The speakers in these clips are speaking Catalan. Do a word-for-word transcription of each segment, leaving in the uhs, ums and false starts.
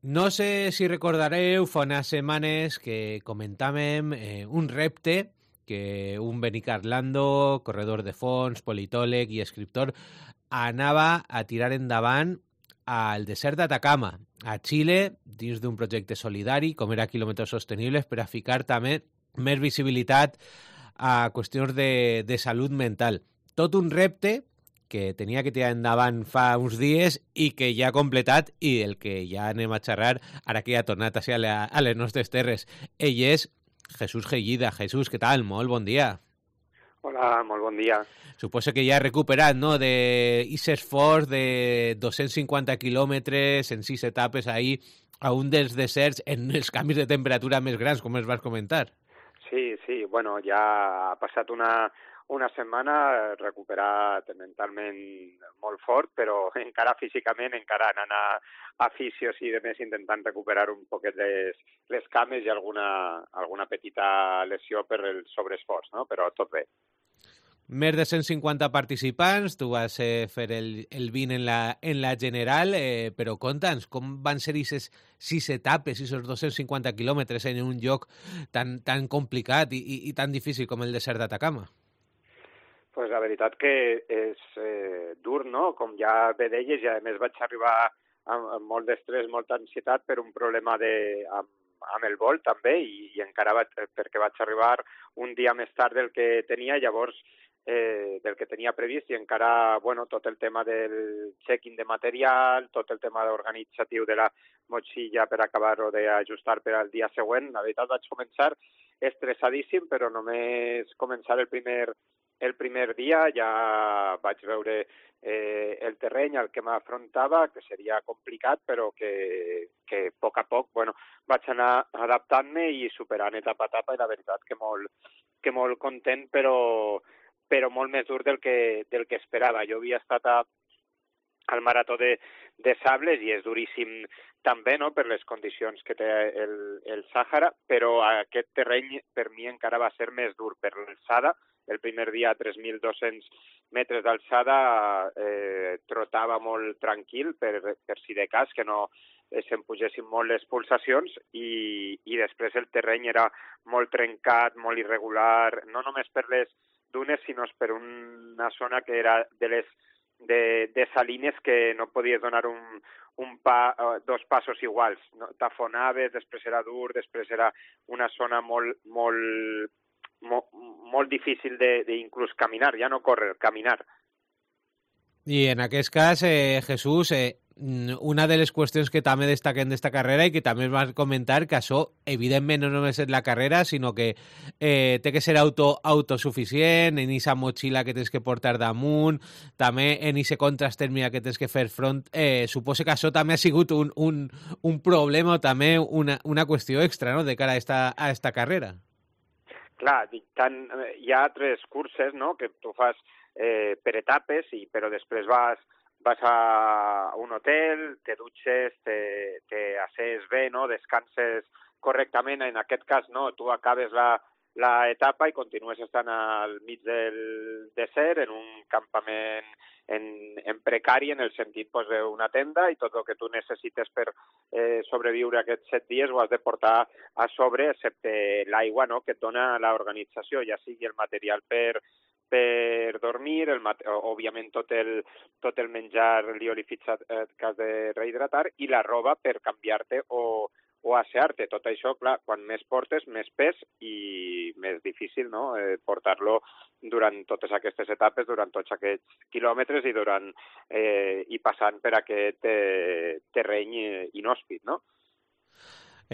No sé si recordareu, fa unes setmanes que comentàvem eh, un repte que un Benicar Lando, corredor de fons, politòleg i escriptor, anava a tirar endavant al desert d'Atacama, a Xile, dins d'un projecte solidari, com era Quilòmetres Sostenibles, per a ficar també més visibilitat a qüestions de, de salut mental. Tot un repte que tenia que tirar endavant fa uns dies i que ja ha completat i el que ja anem a xerrar ara que ja ha tornat a ser a, la, a les nostres terres. Ell és Jesús Gellida. Jesús, què tal? Molt bon dia. Hola, molt bon dia. Suposo que ja ha recuperat, no?, de ese esforç de dos-cents cinquanta quilòmetres en sis etapes ahir a un dels deserts en els canvis de temperatura més grans, com els vas comentar. Sí, sí, bueno, ja ha passat una, una setmana recuperat mentalment molt fort, però encara físicament, encara anant a, a fisios i demés intentant recuperar un poquet les, les cames i alguna, alguna petita lesió per el sobreesforç, no? Però tot bé. Més de cent cinquanta participants, tu vas eh, fer el, el vint en la, en la general, eh, però conta'ns, com van ser aquestes sis etapes, aquests dos-cents cinquanta quilòmetres en un lloc tan, tan complicat i, i, i tan difícil com el desert d'Atacama? Pues la veritat que és eh, dur, no? Com ja bé deies, i a més vaig arribar amb, amb molt d'estrès, molta ansietat per un problema de, amb, amb el vol també, i, i encara vaig, perquè vaig arribar un dia més tard del que tenia, llavors eh, del que tenia previst, i encara, bueno, tot el tema del check-in de material, tot el tema organitzatiu de la motxilla per acabar-ho d'ajustar per al dia següent. La veritat vaig començar estressadíssim, però només començar el primer El primer dia ja vaig veure eh, el terreny al que m'afrontava, que seria complicat, però que, que a poc a poc bueno, vaig anar adaptant-me i superant etapa a etapa, i la veritat que molt, que molt content, però, però molt més dur del que, del que esperava. Jo havia estat a, al marató de, de Sables i és duríssim també, no?, per les condicions que té el, el Sàhara, però aquest terreny per mi encara va ser més dur per l'alçada. El primer dia a tres mil dos-cents metres d'alçada eh, trotava molt tranquil per, per si de cas que no eh, se'm pugessin molt les pulsacions, i, i després el terreny era molt trencat, molt irregular, no només per les dunes, sinó per una zona que era de les de, de salines que no podies donar un, un pa, dos passos iguals. No? T'afonaves, després era dur, després era una zona molt, molt Molt, molt difícil d'inclús caminar, ja no córrer, caminar. I en aquest cas, eh, Jesús, eh, una de les qüestions que també destaquen d'esta carrera i que també vas comentar, que això, evidentment, no només és la carrera, sinó que eh, té que ser auto, autosuficient, en aquesta motxilla que tens que portar damunt, també en aquesta contrastèrmia que tens que fer front. Eh, suposo que això també ha sigut un, un, un problema o també una, una qüestió extra, no?, de cara a esta, a esta carrera. Clar, tant, hi ha tres curses, no?, que tu fas eh, per etapes, i, però després vas, vas a un hotel, te dutxes, te, te asses bé, no?, descanses correctament. En aquest cas, no, tu acabes la, la etapa i continues estant al mig del desert, en un campament en, en precari, en el sentit pues, d'una tenda, i tot el que tu necessites per eh, sobreviure aquests set dies ho has de portar a sobre, excepte l'aigua, no?, que et dona l'organització, ja sigui el material per, per dormir, el, òbviament tot el, tot el menjar liofilitzat eh, que has de rehidratar, i la roba per canviar-te o o assear-te. Tot això, clar, quan més portes, més pes i més difícil, no?, eh, portar-lo durant totes aquestes etapes, durant tots aquests quilòmetres i durant eh, i passant per aquest eh, terreny inhòspit, no?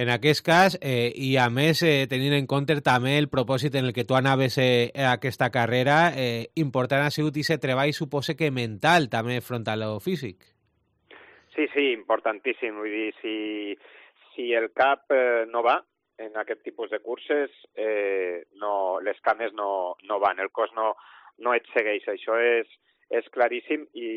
En aquest cas, eh, i a més, eh, tenint en compte també el propòsit en el que tu anaves eh, a aquesta carrera, eh, important ha sigut aquest treball, suposo que mental, també, front a lo físic. Sí, sí, importantíssim. Vull dir, si... Si el cap eh, no va en aquest tipus de curses, eh, no, les cames no, no van, el cos no, no et segueix. Això és, és claríssim i,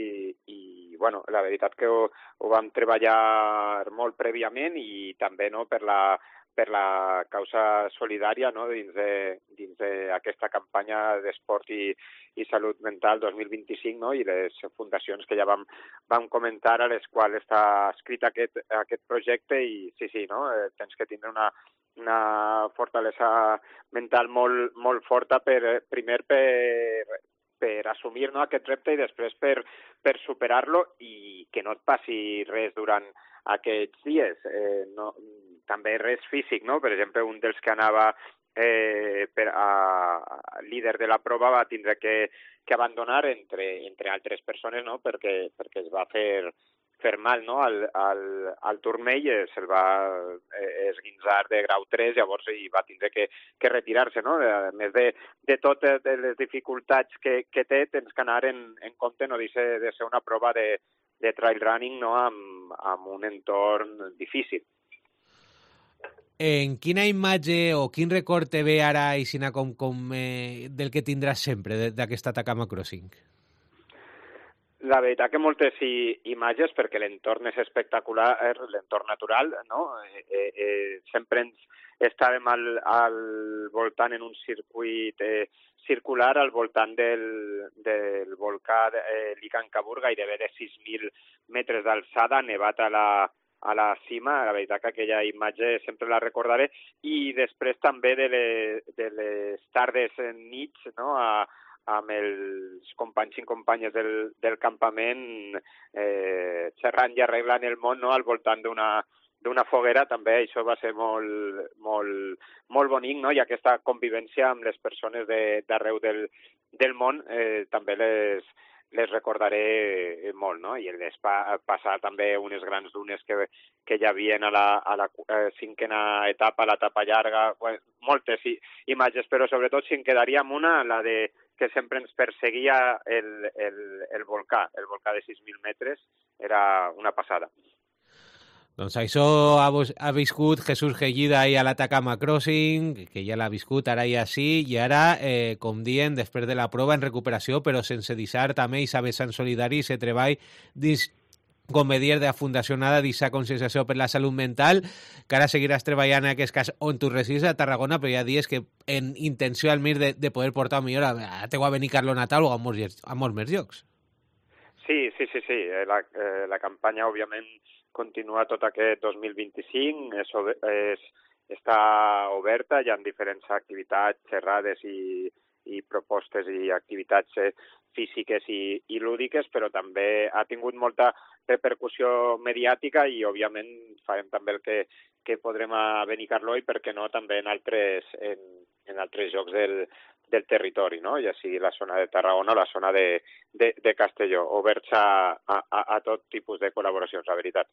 i bueno, la veritat que ho, ho vam treballar molt prèviament, i també no, per, la, per la causa solidària, no? dins de, dins d'aquesta campanya d'esport i, i salut mental dos mil vint-i-cinc, no? I les fundacions que ja vam, vam comentar, a les quals està escrit aquest, aquest projecte, i sí, sí, no? Eh, tens que tindre una, una fortalesa mental molt, molt forta, per, primer per, per assumir, no, aquest repte, i després per, per superar-lo, i que no et passi res durant aquests dies. Eh, no, també res físic, no? Per exemple, un dels que anava eh, per a, a líder de la prova va tindre que, que abandonar, entre, entre altres persones, no? perquè, perquè es va fer, fer mal, no? al, al, al turmell, eh, se'l va eh, esguinçar de grau tres, llavors i va tindre que, que retirar-se. No? A més de, de totes les dificultats que, que té, tens que anar en, en compte, no deixa de ser una prova de, de trail running, no? amb, amb un entorn difícil. En quina imatge o quin record te ve ara, Isina, com, com eh, del que tindràs sempre d'aquesta Atacama Crossing? La veritat que moltes i, imatges, perquè l'entorn és espectacular, l'entorn natural, no? Eh, eh, eh, sempre ens estàvem al, al voltant en un circuit eh, circular al voltant del, del volcà eh, Licancabur, gairebé de sis mil metres d'alçada, nevat a la a la cima. La veritat que aquella imatge sempre la recordaré, i després també de les, de les tardes nits, no? a, amb els companys i companyes del, del campament eh, xerrant i arreglant el món, no? al voltant d'una d'una foguera. També això va ser molt, molt, molt bonic, no? I aquesta convivència amb les persones de, d'arreu del, del món eh, també les les recordaré molt, no? I el pa, passar també unes grans dunes que, que hi havia a la, a la eh, cinquena etapa, a l'etapa llarga, bueno, moltes i, imatges, però sobretot si en quedaria amb una, la de que sempre ens perseguia el, el, el volcà, el volcà de sis mil metres, era una passada. Doncs això ha, ha viscut Jesús Gellida ahir a l'Atacama Crossing, que ja l'ha viscut, ara ja sí, i ara, eh, com dient, després de la prova en recuperació, però sense deixar també i saber Sant Solidari, se treball dins, com me dies, de la Fundació Nada, d'aquesta conscienciació per la salut mental, que ara seguiràs treballant en aquest cas on tu residis, a Tarragona, però ja dius que en intenció al mir de, de poder portar millor a, a teu a Benicarló natal o a molts, a molts més llocs. Sí, sí, sí, sí. La, eh, la campanya, òbviament, continua tot aquest dos mil vint-i-cinc, és, és, està oberta, hi ha diferents activitats, xerrades i, i propostes i activitats físiques i, i lúdiques, però també ha tingut molta repercussió mediàtica i, òbviament, farem també el que, que podrem a Benicarló i, per què no, també en altres, en, en altres llocs del, del territori, no? Ja sigui la zona de Tarragona o la zona de, de, de Castelló, oberts a, a, a tot tipus de col·laboracions, la veritat.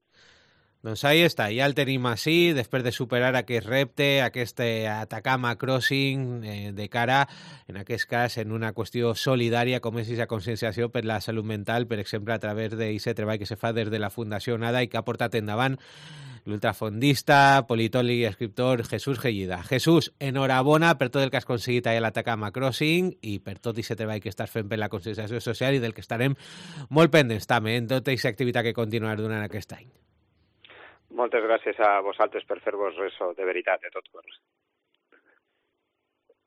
Doncs ahí està, ja el tenim així, després de superar aquest repte, aquest Atacama Crossing, eh, de cara, en aquest cas, en una qüestió solidària, com és aquesta conscienciació per la salut mental, per exemple, a través d'aquest treball que se fa des de la Fundació Nada i que ha portat endavant l'ultrafondista, politòleg i escriptor Jesús Gellida. Jesús, enhorabona per tot el que has aconseguit a l'Atacama Crossing i per tot aquest treball que estàs fent per la conscienciació social i del que estarem molt pendents també en tota aquesta activitat que continuarà durant aquest any. Moltes gràcies a vosaltres per fer-vos ressò, de veritat, de tot cor.